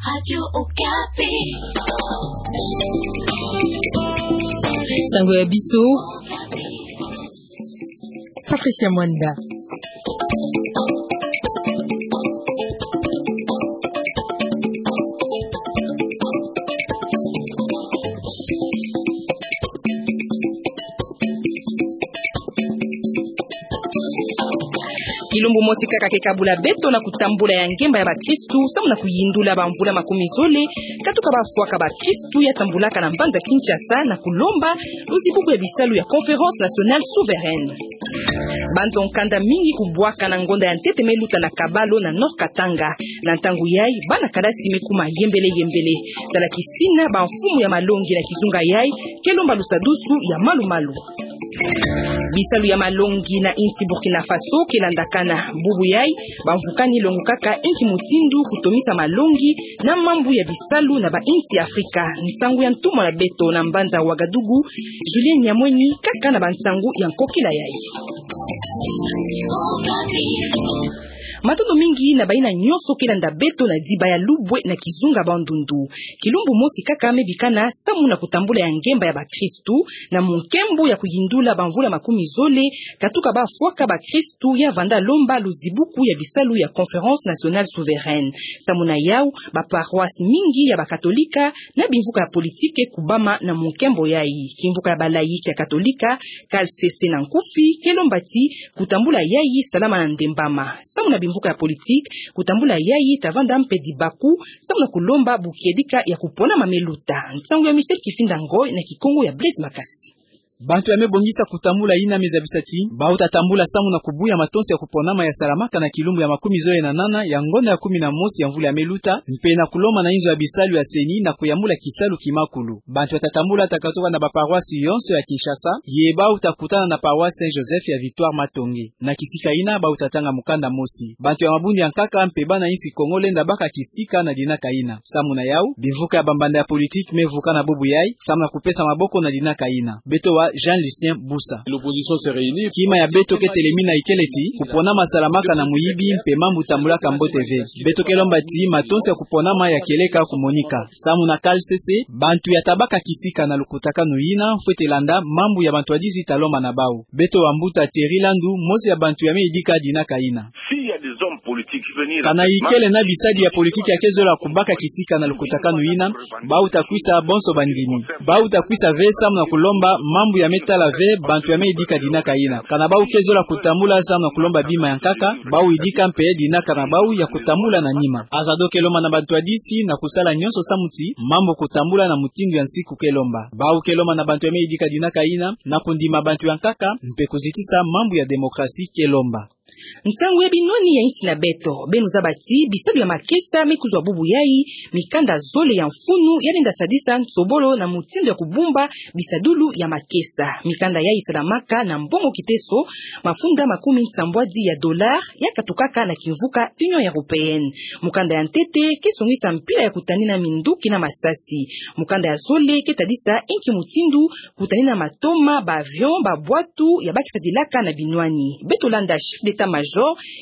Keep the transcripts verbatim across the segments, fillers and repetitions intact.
Radio Okapi. Sango ya biso, Patricia Mwanda. Kilumbu mosi kaka ke kabula beto na kutambula ya ngemba ya bakristu, samu na kuyindula bamvula makumi zole, katuka bafwaka bakristu ya tambulaka na mbanza Kinshasa na kulomba luzibuku ya bisalu ya Conférence Nationale Souveraine. Banzo nkanda mingi kubwaka na ngonda ya ntete me luta na Kabalo na Nord-Katanga. Na ntangu yayi, bana kalasi me kuma yembele yembele. Tala kisina bamfumu ya malongi na kizunga yayi ke lomba lusadusu ya malu-malu. Bisalu ya malongi na insi Burkina Faso ke landakana. Bubu yayi, bamvukani longukaka inki mutindu kutomisa malongi na mambu ya bisalu na bainsi ya Afrika. Nsangu ya ntumwa na beto na mbanza Ouagadougou, Julien Nyamweni, kaka na bansangu ya nkokila yayi. Matondo mingi na bayina nyonso ke landa beto na diba ya Lubwe na kizunga Bandundu. Kilumbu mosi kaka me bikana samu na kutambula ya ngemba ya bakristu, na munkembo ya kuyindula bamvula makumi zole, katuka bafwaka bakristu ya vanda lomba luzibuku ya bisalu ya Conférence Nationale Souveraine. Samu na yawu, baparoisse mingi ya bakatolika na bimvuka ya politike kubama na munkembo yayi. Kimvuka ya balaïque ya katolika, K L C C na nkufi, ke lomba ti kutambula yayi salama na ndembama. Samu na bimvuka ya politike, kutambula yayi ta vanda mpe dibaku, samu na kulomba bu kiedika ya kuponama me luta. Nsangu ya Michel Kifinda Ngoy na Kikongo ya Blaise Makasi. Bantu ya me bongisa kutambula yina me zabisa ti bawu ta tambula samu na kubuya matonso ya kuponama ya salamaka na kilumbu ya makumi zole na nana ya ngonda ya kumi na mosi ya mvula ya me luta, mpe na kulomba na inzo ya bisalu ya CENI na kuyambula kisalu kimakulu. Bantu ya ta tambula ta katuka na baparoisse yonso ya Kinshasa, ye bawu ta kutana na paroisse Saint Joseph ya Victoire Matonge. Na kisika yina bawu ta tanga mukanda mosi. Bantu ya mabundu ya nkaka mpe bana insi Kongo lenda baka kisika na dinaka yina. Samu na yawu, bimvuka ya bambanda ya politike me vukana bubu yayi, samu na kupesa maboko na dinaka yina. Beto wa Jean Lucien Busa. L'opposition se réunit. Kima ya beto ke telemina ikele ti, kuponama salamaka na muyibi mpe mambu tambulaka mbote ve. Beto ke lomba ti matonso ya kuponama ya kieleka kumonika. Samu na K L C C, bantu ya ta baka kisika na lukutakanu yina, fwete landa mambu ya bantwadisi ta lomba na bawu. Beto wa mbuta Thierry Landu, mosi ya bantu ya me yidika dinaka yina. S'il y a des hommes politiques qui veulent... Kana ikele na bisadi ya politike ya ke zola kubaka kisika na lukutakanu yina, bawu ta kwisa bonso bandimi. Bawu ta kwisa ve samu na kulomba mambu ya me tala ve bantu ya me yidika dinaka yina. Kana bawu ke zola kutambula samu na kulomba bima ya nkaka, bawu yidika mpe dinaka na bawu ya kutambula na nima. Azado ke lomba na bantwadisi na kusala nyonso samu ti mambu kutambula na mutindu ya nsiku ke lomba. Bawu ke lomba na bantu ya me yidika dinaka yina na kundima bantu ya nkaka, mpe kuzitisa mambu ya démocratie ke lomba. Nsangu ya binwani ya insi na beto. Beno zaba ti bisalu ya makesa me kuzwa bubu yayi, mikanda zole ya mfunu ya lenda sadisa nsobolo na mutindu ya kubumba bisadulu ya makesa. Mikanda yayi salamaka na mbongo kiteso mafunda makumi nsambwadi ya dollar ya katukaka na kimvuka Union Européenne. Mukanda ya ntete ke songisa mpila ya kutanina minduki na masasi. Mukanda ya zole ke tadisa inki mutindu kutanina matoma, ba avion, ba bwatu ya ba ke sadilaka na binwani. Beto landa chef d'état-major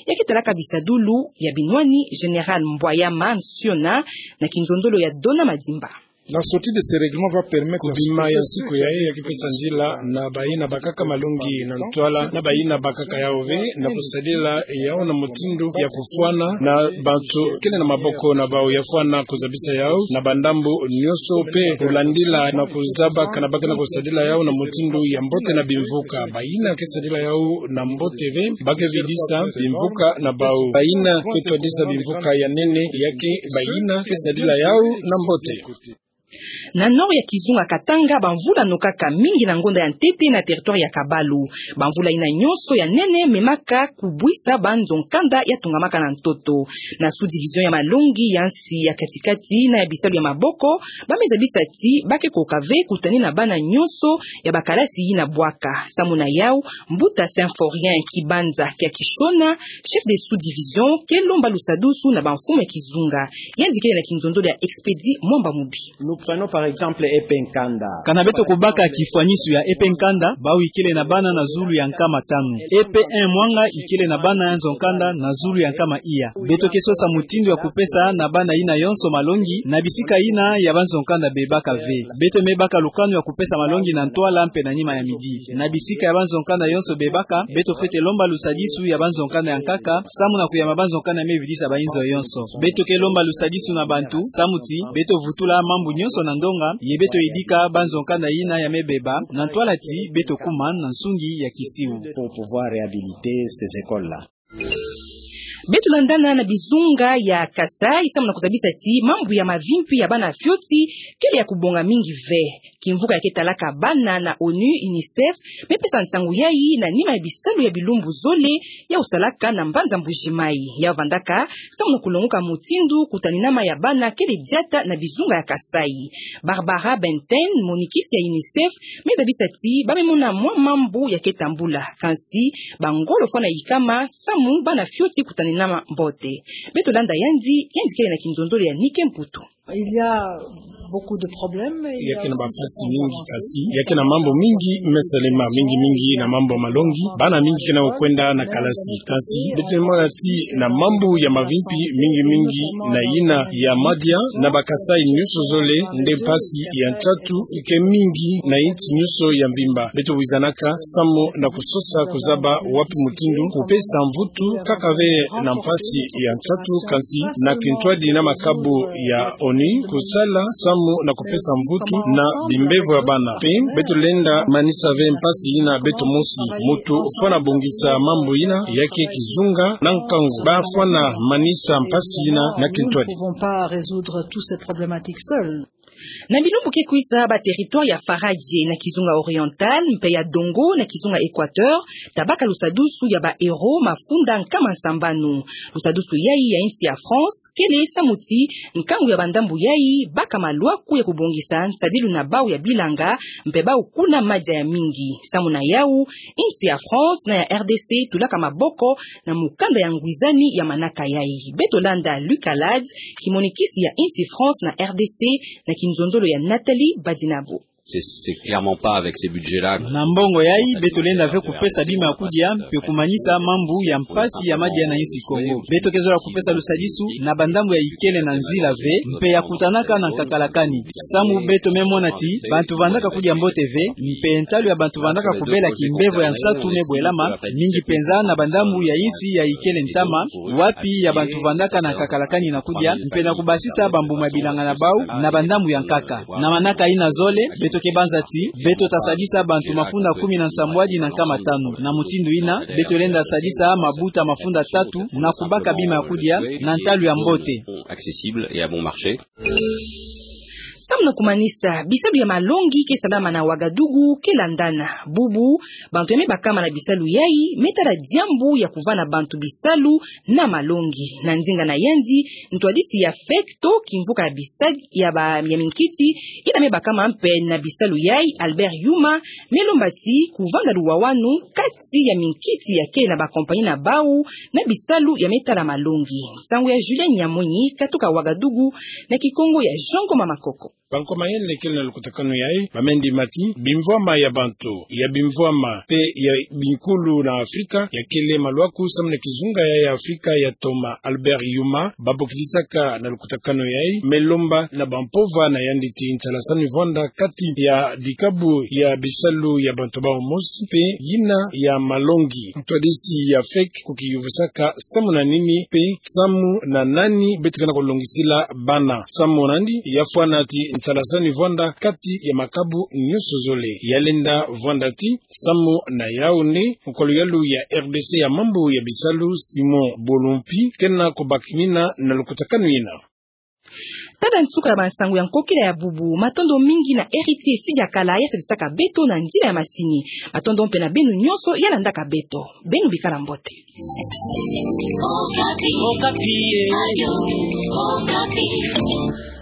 ya ke talaka bisadulu ya binwani, Général Mbwayama Nsiona, na kinzonzolo ya Dona Madimba. La sortie de ce règlement va permettre... Kubima ya nsiku yayi ya ke pesa nzila na bayina bakaka malongi na ntwala, na bayina bakaka yawu ve, na kusadila yawu na mutindu ya kufwana na bantu kele na maboko na bawu, ya fwana kuzabisa yawu na bandambu nyonso, mpe kulandila na kuzaba kana ba ke na kusadila yawu na mutindu ya mbote na bimvuka. Bayina ke sadila yawu na mbote ve, ba ke vidisa bimvuka na bawu. Bayina ke twadisa bimvuka ya nene, ya ke bayina ke sadila yawu na mbote. Na nord ya kizunga Katanga, bamvula nokaka mingi na ngonda ya ntete na territoire ya Kabalu. Bamvula yina nyonso ya nene memaka kubwisa banzo nkanda ya tungamaka na ntoto. Na sous-division ya malongi ya nsi ya katikati na ya bisalu ya maboko, ba me zabisa ti ba ke koka ve kutanina bana nyonso ya bakalasi yina bwaka. Samu na yawu, mbuta Symphorien Kibanza kia Kishona, chef de sous-division, ke lomba lusadusu na bamfumu ya kizunga. Yandi kele na kinzonzolo ya Expédit Mwamba Mubi. Prenons par exemple E P nkanda. Kana beto kubaka kifwanisu ya E P nkanda, bawu ikele na bana na zulu ya nkama tanu. E P un Mwanga ikele na bana ya nzo nkanda na zulu ya nkama iya. Beto ke sosa mutindu ya kupesa na bana yina yonso malongi na bisika yina ya banzo nkanda bebaka ve. Beto me baka lukanu ya kupesa malongi na ntwala mpe na nima ya midi. Na bisika ya banzo nkanda yonso bebaka, beto fwete lomba lusadisu ya banzo nkanda ya nkaka, samu na kuyamba banzo nkanda me vidisa bayinzo yonso. Beto ke lomba lusadisu na bantu, samu ti beto vutula mambu nyonso na ndonga, ye beto yidika banzo nkanda yina ya me beba, na ntwala ti beto kuma na nsungi ya kisiu. Pour pouvoir réhabiliter ces écoles-là. Beto landana na bizunga ya Kasaï, samu na kuzabisa ti mambu ya mavimpi ya bana fioti kele ya kubonga mingi ve. Kimvuka ya ke talaka bana na ONU, UNICEF, me pesa nsangu yayi na nima ya bisalu ya bilumbu zole ya kusalaka na mbanza Mbuji-Mayi. Ya vandaka samu na kulonguka mutindu kutaninama ya bana kele diata na bizunga ya Kasaï. Barbara Benten, monikisi ya UNICEF, me zabisa ti ba me mona mwa mambu ya ke tambula. Kansi bangolo fwana yikama samu bana fioti kutaninama mbote. Beto landa yandi, yandi kele na kinzonzolo ya Nike Mputu. Il y a beaucoup de problèmes. Ya ke na bampasi mingi, kasi ya ke na mambu mingi me salema, mingi mingi na mambu ya malongi. Bana mingi ke na kwenda na kalasi. Kasi beto mona ti na mambu ya mavimpi, mingi mingi na yina ya madia, na ba Kasaï nyonso zole, nde mpasi ya nsatu ike mingi na insi nyonso ya mvimba. Beto wizanaka samu na kusosa kuzaba wapi mutindu kupesa mvutu, kaka ve na mpasi ya nsatu, kansi na kintwadi na makabu ya ONU kusala samu na kupesa mvutu na bimbevo ya bana. Mpe beto lenda manisa ve mpasi yina beto mosi. Mutu fwana bongisa mambu yina, ya ke kizunga na nkangu. Ba fwana manisa mpasi yina na kintwadi. Nous ne pouvons pas résoudre toutes ces problématiques seuls. Na bilumbu ke kwiza, ba territoire ya Faradje na kizunga Oriental mpe ya Dongo na kizunga Equateur tabaka lusadusu ya ba euro mafunda nkama sambanu. Lusadusu yayi ya insi ya France kele samu ti nkangu ya bandambu yayi baka malwaku ya kubongisa nsadilu na bawu ya bilanga, mpe bawu kuna madia ya mingi. Samu na yawu, insi ya France na ya R D C tulaka maboko na mukanda ya ngwizani ya manaka yayi. Beto landa Luc Alade, kimonikisi ya insi France na R D C, na kinzonzolo ya Nathalie Badinabo. C'est, c'est clairement pas avec ces budgets-là. Na mbongo yayi, beto lenda ve kupesa bima ya kudia mpe kumanisa mambu ya mpasi ya madia na insi Kongo. Beto ke zola kupesa lusadisu na bandambu ya ikele na nzila ve, mpe ya kutanaka na nkakalakani. Samu beto me mona ti bantu vandaka kudia mbote ve, mpe ntalu ya bantu vandaka kubela kimbevo ya nsatu me bwelama, mingi penza na bandambu ya insi ya ikele ntama, wapi ya bantu vandaka na nkakalakani na kudia, mpe na kubasisa bambuma ya bilanga na bawu na bandambu ya nkaka. Na manaka yina zole, beto ke banza ti beto tasadisa bantu mafunda kumi na nsambwadi na nkama tanu. Na mutindu yina, beto lenda sadisa mabuta mafunda tatu na kubaka bima ya kudia na ntalu ya mbote. Accessible et à bon marché. Samu na kumanisa, bisalu ya malongi ke salama na Ouagadougou ke landana. Bubu, bantu ya me bakama na bisalu yayi me tala diambu ya kuvana bantu bisalu na malongi. Na ndinga na yandi, ntwadisi ya FEC to kimvuka ya bisadi ya ba, ya minkiti yina me bakama mpe na bisalu yayi, Albert Yuma, me lomba ti kuvanda luwawanu kati ya minkiti ya kele na ba compagnie na bawu na bisalu ya me tala malongi. Nsangu ya Julien Nyamonyi, katuka Ouagadougou, na Kikongo ya Jean Ngoma Makoko. Bankomayele kele na lukutakanu yayi ba me ndima ti bimvwama ya bantu, ya bimvwama mpe ya binkulu na Afrika ya kele malwaku samu na kizunga yayi ya Afrika ya toma. Albert Yuma, ba bokidisaka na lukutakanu yayi, me lomba na bampova na yandi ti nsalasani vwanda kati ya dikabu ya bisalu ya bantu bawu mosi mpe yina ya malongi. Ntwadisi ya FEC ku kiyuvisaka samu na nini mpe samu na nani beto ke na kulongisila bana. Samu na yandi, ya fwana ti nsalasani vwanda kati ya makabu nyonso zole. Ya lenda vwanda ti samu na Yaoundé, nkolo-yalu ya R D C ya mambu ya bisalu, Simon Bolompi, ke na kubakimina na lukutakanu yina. Tada nsuka ya bansangu ya nkokila ya bubu. Matondo mingi na Héritier Sidiakala ya sadisaka beto na nzila ya masini. Matondo mpe na beno nyonso ya landaka beto. Beno bikala mbote. Okapi. Okapi, eh. Radio Okapi.